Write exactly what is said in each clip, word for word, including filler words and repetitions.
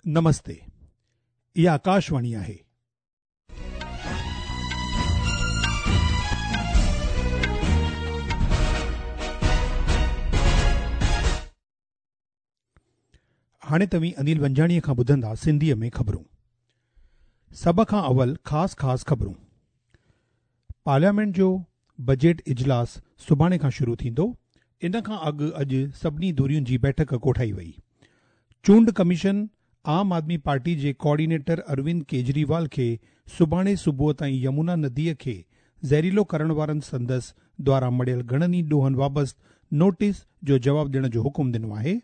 نمستي، اها آڪاشواڻي آهي. هاڻي توهين انيل ونجاڻيءَ کان ٻڌندا سنڌيءَ ۾ خبرون. سڀ کان اول خاص خاص خبرون. پارليامينٽ جو بجيٽ اجلاس سڀاڻي کان شروع ٿيندو. ان کان اڳ اڄ سڀني ڌرين جي بيٺڪ ڪوٺائي وئي. چونڊ ڪميشن عام آدمي پارٽي جي ڪوآرڊينيٽر اروند ڪيجريوال کي سڀاڻي صبح تائين يمنا نديءَ کي زهريلو ڪرڻ وارن سندس دواران مڙهيل گهڻن ئي ڏوهن بابت نوٽيس جو جواب ڏيڻ جو حڪم ڏنو آهي.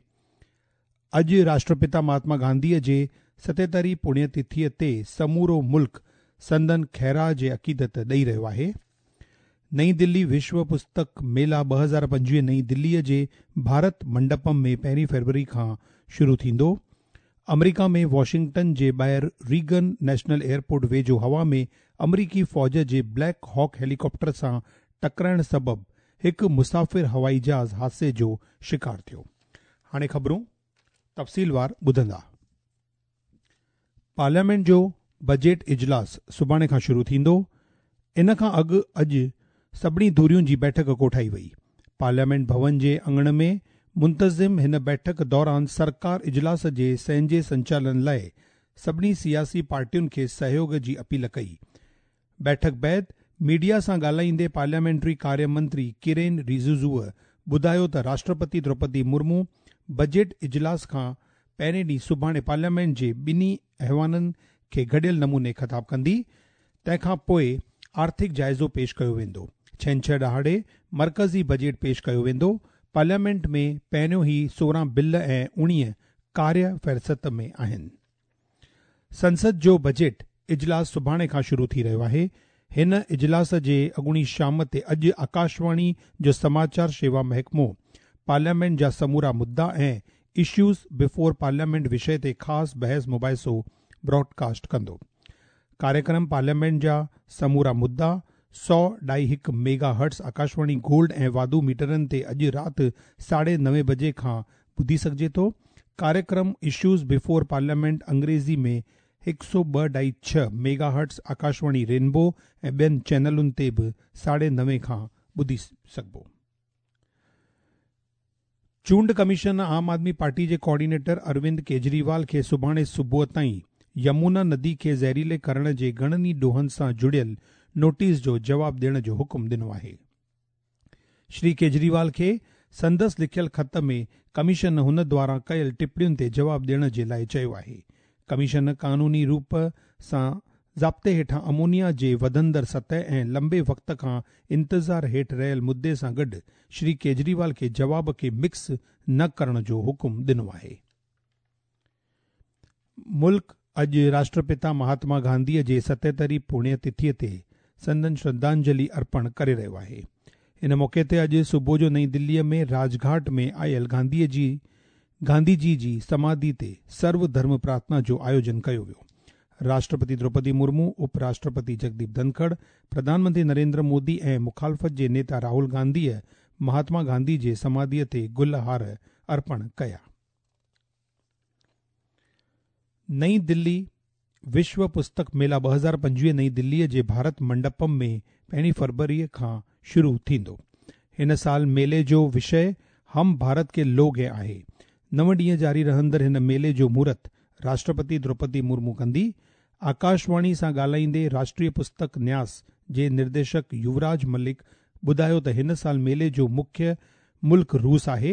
اڄ راشٽرپتا مهاتما گانڌيءَ جي ستهتري پڻيه تٿيءَ تي سمورو ملڪ سندن خيراج عقيدت ڏيئي رهيو آهي. نئين دلي وشو پستڪ ميلا ٻه هزار پنجويهه نئين دليءَ جي ڀارت منڊپم ۾ پهرين فروري کان شروع ٿيندو. آمريڪا ۾ واشنگٽن جي ٻاهر ريگن نيشنل ايئرپورٽ ويجهو هوا ۾ آمريڪي فوج جي بليڪ هاڪ هيليڪاپٽر سان ٽڪرائڻ سبب هڪ مسافر هوائي جهاز حادثي جو شڪار ٿيو. هاڻي خبرون تفصيلوار ٻڌندا. پارليامينٽ جو بجيٽ اجلاس سڀاڻي کان شروع ٿيندو. ان کان اڳ اڄ سڀني ڌرين جي بيٺڪ ڪوٺائي وئي. پارليامينٽ ڀون جي اڱڻ ۾ منتظم هن بيٺڪ دوران سرڪار اجلاس جي سهنجي سنچالن لاءِ سڀني سياسي پارٽين کي سهيوگ جي اپيل ڪئي. بيٺڪ بعد ميڊيا سان ڳالهائيندي پارليامينٽري ڪاريه منتري ڪرين رجيجوءَ ٻڌايو ته راشٽرپتي دروپدي مرمو بجيٽ اجلاس کان پهرين ڏينهن سڀاڻي پارليامينٽ جي ٻنهي ايوانن کي گڏيل نموني خطاب ڪندي. تنهن کان پوءِ آرٿڪ جائزو پيش ڪيو ويندو. ڇنڇر ڏهاڙي مرڪزي بجيٽ پيش ڪيو ويندو. پارليامينٽ ۾ پهريون ئي سورهن بل ۽ اڻويهه ڪاريه فهرست ۾ آهن. سنسد جو بجيٽ اجلاس سڀاڻي کان شروع ٿي رهيو آهي. هن اجلاس جي اڳوڻي شام تي اڄ آڪاشواڻي جو سماچار شيوا محڪمو پارليامينٽ جا سمورا مدعا ۽ اشوز بفور پارليامينٽ وشي تي خاص بحث مباحثو براڊڪاسٽ ڪندو. ڪاريڪرم پارليامينٽ جا سمورا مدعا سؤ ڍائي هڪ ميگا هرٽز آڪاشواڻي گولڊ ۽ واڌو ميٽرن تي اڄ رات ساڍي نوين بجي کان ٻڌي سگهجي ٿو. ڪاريڪرم اشوز بفور پارليامينٽ انگريزي ۾ هڪ سؤ ٻه ڍائي ڇهه ميگا هرٽز آڪاشواڻي رينبو ۽ ٻين چينلن تي به ساڍي نوين کان ٻڌي سگهبو. چونڊ ڪميشن عام آدمي پارٽي جي ڪوآرڊينيٽر اروند ڪيجريوال کي سڀاڻي صبح تائين يمنا ندي کي زهريلي ڪرڻ جي گهڻن ئي ڏوهن سان جڙيل نوٽيس جو جواب ڏيڻ جو حڪم ڏنو آهي. شري ڪيجريوال کي سندس لکيل خط ۾ ڪميشن هن دواران ڪيل ٽپڻين تي جواب ڏيڻ جي لاءِ چيو آهي. ڪميشن قانوني روپ سان ضابطي هيٺان امونيا جي وڌندڙ سطح ۽ لمبي وقت کان انتظار هيٺ رهيل مدعي سان گڏ شري ڪيجريوال کي جواب کي مڪس نه ڪرڻ جو حڪم ڏنو آهي. ملڪ اڄ راشٽرپتا مهاتما گانڌيءَ جي ستهتري پڻيه تٿيءَ تي سندن شرڌانجلي ارپڻ ڪري رهيو آهي. ان موقعي تي اڄ صبح جو نئين دليءَ ۾ راجگهاٽ ۾ آيل گانڌيءَ جي گانڌي جي سماڌي تي سرو ڌرم پرارٿنا جو آيوجن ڪيو ويو. راشٽرپتي دروپدي مرمو، اپراشٽرپتي جگديپ ڌنکڙ، پرڌان منتري نريندر مودي ۽ مخالفت جي نيتا راهول گانڌيءَ مهاتما گانڌي جي سماڌيءَ تي گل هار ارپڻ ڪيا. نئين دلي وشو پستڪ ميلا ٻه هزار پنجويهه نئين دليءَ جي ڀارت منڊپم ۾ پهرين فروريءَ کان شروع ٿيندو. هن سال ميلي جو وشي هم ڀارت ڪي لوگ هين آهي. نو ڏينهن جاري رهندڙ هن ميلي جو مهورت راشٽرپتي دروپدي مرمو ڪندي. آڪاشواڻي سان ڳالهائيندي راشٽريه پستڪ نياس جي نرديشڪ يوراج ملڪ ٻڌايو ته هن سال ميلي جو مکيه ملڪ روس آهي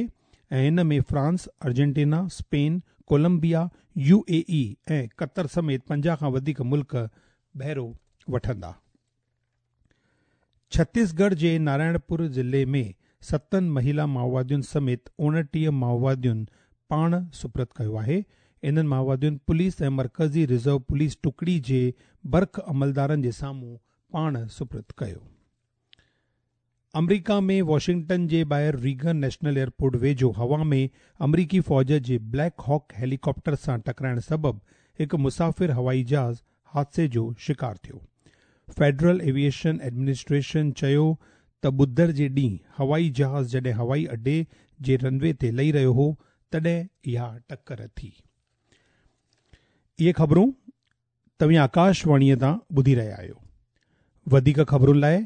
۽ هن ۾ France, Argentina, Spain, Colombia, U A E ۽ Qatar سميت پنجاهه کان وڌيڪ ملڪ بهرو وٺندا. ڇتيسڳڙهه جي نارائڻپور ضلعي ۾ ستن مهلا مائووادين سميت اڻٽيهه مائووادين پاڻ سپرد ڪيو آهي. انهن مائووادين پوليس ۽ مرڪزي رزرو پوليس ٽڪڙي جي برک عملدارن جي سامهون پاڻ سپرد ڪيو. آمريڪا ۾ واشنگٽن جي ٻاهر ريگن نيشنل ايئرپورٽ ويجهو هوا ۾ آمريڪي فوج جي بليڪ هاڪ هيليڪاپٽر سان ٽڪرائڻ سبب هڪ مسافر هوائي جهاز حادثي جو شڪار ٿيو. فيڊرل ايويئيشن ايڊمنسٽريشن چيو ته ٻڌر جي ڏينهن هوائي جهاز جڏهن هوائي اڏي جي رن وي تي لهي رهيو هو تڏهن اها ٽڪر ٿي. اهي خبرون توهين آڪاشواڻيء تان ٻڌي رهيا آهيو. وڌيڪ خبرن لاءِ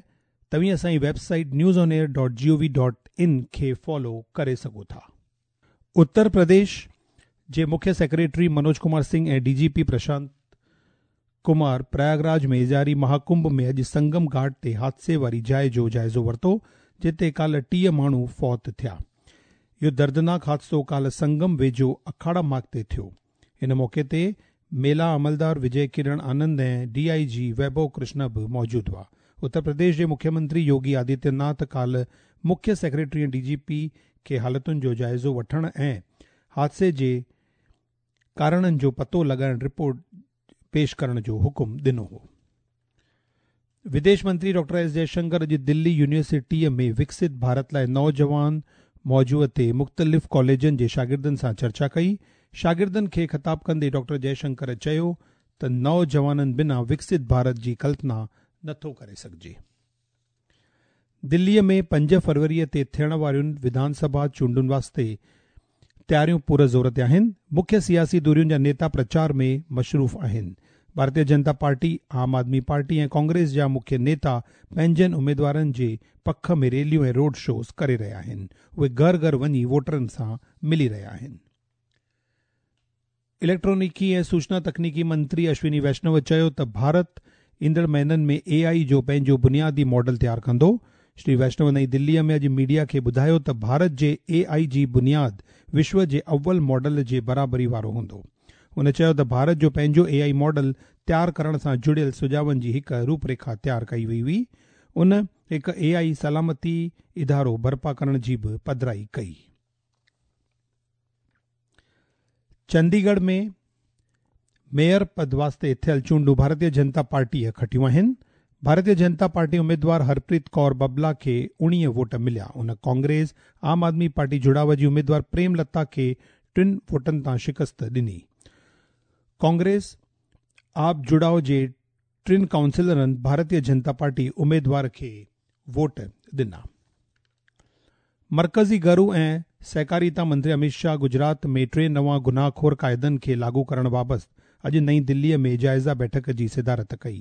توهين اسان جي website news on air dot G O V dot in کي فالو ڪري سگهو ٿا. اتر پرديش جي مکيه secretary Manoj Kumar Singh ۽ D G P Prashant Kumar Prayagraj ۾ جاري مهاڪنڀ ۾ اڄ سنگم گهاٽ تي حادثي واري جاءِ جو جائزو ورتو، جتي ڪالهه ٽيهه ماڻهو فوت ٿيا. اهو دردناڪ حادثو ڪالهه سنگم ويجهو اکاڙا مارگ تي ٿيو. ان موقعي تي ميلا عملدار وجي ڪرڻ آنند ۽ ڊي I جي ويڀو ڪرشن به موجود هئا. اتر پرديش جي مکيه منتري يوگي آدتيه ناٿ ڪالهه مکيه سيڪريٽري ۽ ڊي جي پي کي حالتن جو جائزو وٺڻ ۽ حادثي جي ڪارڻن جو پتو لڳائڻ رپورٽ پيش ڪرڻ جو حڪم ڏنو هو. وديش منتري ڊاڪٽر ايس جئشنڪر اڄ دلي يونيورسٽيء ۾ وڪست ڀارت لاءِ نوجوان موضوع تي مختلف ڪاليجن جي شاگردن سان چرچا ڪئي. شاگردن کي خطاب ڪندي ڊاڪٽر جئشنڪر چيو ته نوجوانن بنا وڪست ڀارت جي ڪلپنا نٿو ڪري سگهجي. دليءَ ۾ پنج فروريءَ تي ٿيڻ وارين وڌان سڀا چونڊن واسطي تياريون پور زور تي آهن. مکيه سياسي ڌرين جا نيتا پرچار ۾ مصروف آهن. ڀارتيه جنتا پارٽي، عام آدمي پارٽي ۽ ڪانگريس جا مکيه نيتا پنهنجن اميدوارن جي پک ۾ ريليون ۽ روڊ شوز ڪري رهيا آهن. اهي گهر گهر وڃي ووٽرن سان ملي رهيا آهن. اليڪٽرانڪي ۽ سوچنا تڪنيڪي منتري اشوني ويشنو چيو ته ڀارت ايندڙ مهينن ۾ اي I جو پنهنجو بنيادي ماڊل تيار ڪندو. شري ويشنو نئين دليءَ ۾ اڄ ميڊيا کي ٻڌايو ته ڀارت جي اي I جي بنياد وشو جي اول ماڊل جي برابري وارو هوندو. هن چيو ته ڀارت جو پنهنجو اي I model تيار ڪرڻ سان جڙيل سجهاون جي هڪ روپريکا تيار ڪئي وئي هئي. ان هڪ اي I سلامتي ادارو برپا ڪرڻ جي به پڌرائي ڪئي. چنديڳڙهه ۾ ميئر پد واسطي ٿيل چونڊون ڀارتيه جنتا پارٽيءَ کٽيون آهن. ڀارتيه جنتا پارٽي اميدوار هرپريت ڪور ببلا کي اڻويهه ووٽ مليا. ان ڪانگريس عام آدمي پارٽي جڙاءُ جي اميدوار پريم لتا کي ٽن ووٽن تان شڪست ڏني. ڪانگريس آپ جڙاءُ جي ٽن ڪائونسلرن ڀارتيه جنتا پارٽي اميدوار کي ووٽ ڏنا. مرڪزي گهرو ۽ سهڪاريتا منتري امت شاهه گجرات ۾ ٽي نوان گناهخور قاعدن کي لاڳو ڪرڻ بابت اڄ نئين دليءَ ۾ جائزه بيٺڪ جي صدارت ڪئي.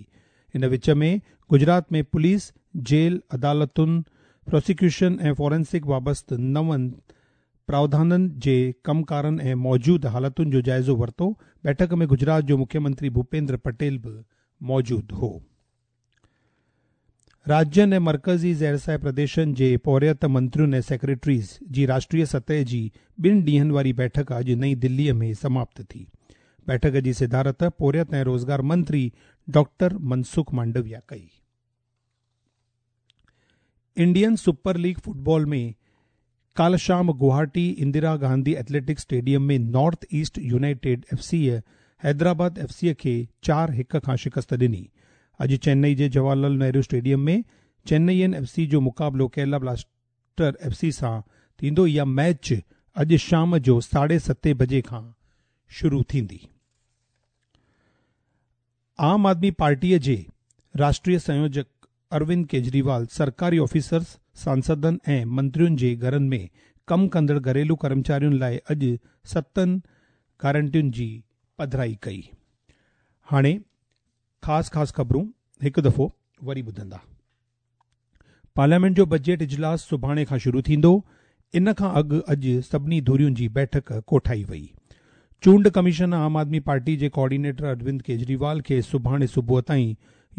ان وچ ۾ گجرات ۾ پوليس، جيل، عدالتن، پراسيڪيوشن ۽ فورينسڪ بابت نون پراوڌانن جي ڪمڪارن ۽ موجود حالتن جو جائزو ورتو. بيٺڪ ۾ گجرات جو مکيه منتري ڀوپيندر پٽيل به موجود هو. راجين ۽ مرڪزي زيرسايه پرديشن جي پورهيت منترين ۽ سيڪريٽريز جي راشٽريه سطح جي ٻن ڏينهن واري بيٺڪ اڄ نئين دليءَ ۾ سماپت ٿي. بيٺڪ جي صدارت پورهيت ۽ روزگار منتري ڊاڪٽر منسک مانڊويا ڪئي. انڊين سپر ليگ فٽبال ۾ ڪالهه شام Guwahati Indira Gandhi athletic stadium ۾ north east united F C Hyderabad F C کي چار هڪ کان شڪست ڏني. اڄ چنئي جي جواهر لال نهرو اسٽيڊيم ۾ چنئين ايف سي جو مقابلو ڪيرالا بلاسٽر ايف سي سان ٿيندو. اها ميچ اڄ شام جو ساڍي ستين بجي کان شروع ٿيندي. عام آدمي پارٽيءَ جي راشٽريه سنيوجڪ اروند ڪيجريوال سرڪاري آفيسرز، سانسدن ۽ منترين جي گهرن ۾ ڪم ڪندڙ گهريلو ڪرمچارين لاءِ اڄ ستن گارنٽين جي پڌرائي ڪئي. هاڻي خاص خاص خبرون هڪ دفعو وري ٻڌندا. پارليامينٽ جو بجيٽ اجلاس سڀاڻي کان شروع ٿيندو. ان کان اڳ اڄ سڀني ڌرين جي بيٺڪ ڪوٺائي وئي. چونڊ ڪميشن عام آدمي پارٽي جي ڪوآرڊينيٽر اروند ڪيجريوال کي سڀاڻي صبح تائين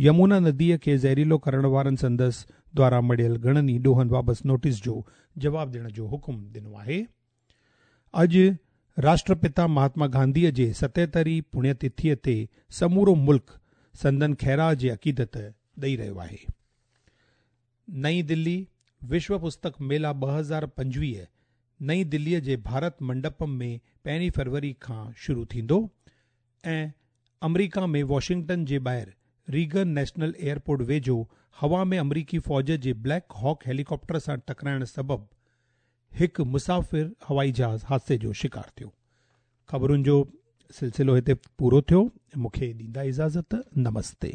يمنا نديءَ کي زهريلو ڪرڻ وارن سندس دوارا مڙهيل گهڻن ئي ڏوهن بابت نوٽيس جو جواب ڏيڻ جو حڪم ڏنو آهي. اڄ راشٽرپتا مهاتما گانڌيءَ جي ستهترين پڻيه تٿيءَ تي سمورو ملڪ سندن خيراج عقيدت ڏيئي رهيو آهي. نئين دلي وشو پستڪ ميلا ٻه هزار پنجويهه نئين دليءَ جي ڀارت منڊپم ۾ پهرين فروري کان شروع ٿيندو ۽ آمريڪا ۾ واشنگٽن جي ٻاهر ريگن نيشنل ايئرپورٽ ويجهو هوا ۾ آمريڪي فوج جي بليڪ هاڪ هيليڪاپٽر سان ٽڪرائڻ سبب هڪ مسافر هوائي جهاز حادثي جو شڪار ٿيو. خبرن جو سلسلو هتي پورو ٿيو. مون کي ڏيندا اجازت. نمستي.